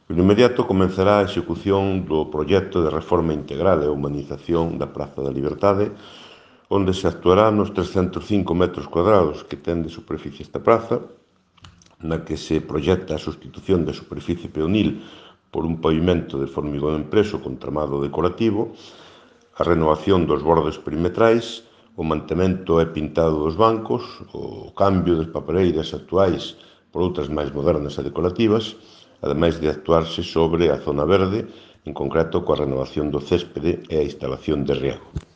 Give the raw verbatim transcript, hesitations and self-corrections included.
No inmediato comezará a execución do proxecto de reforma integral e humanización da Praza da Liberdade, onde se actuará nos trescentos cinco metros cuadrados que ten de superficie esta praza, na que se proxecta a sustitución da superficie peonil por un pavimento de formigón impreso con tramado decorativo, a renovación dos bordes perimetrais, o mantemento e pintado dos bancos, o cambio das papeleiras actuais por outras máis modernas e decorativas, ademais de actuarse sobre a zona verde, en concreto coa renovación do céspede e a instalación de riego.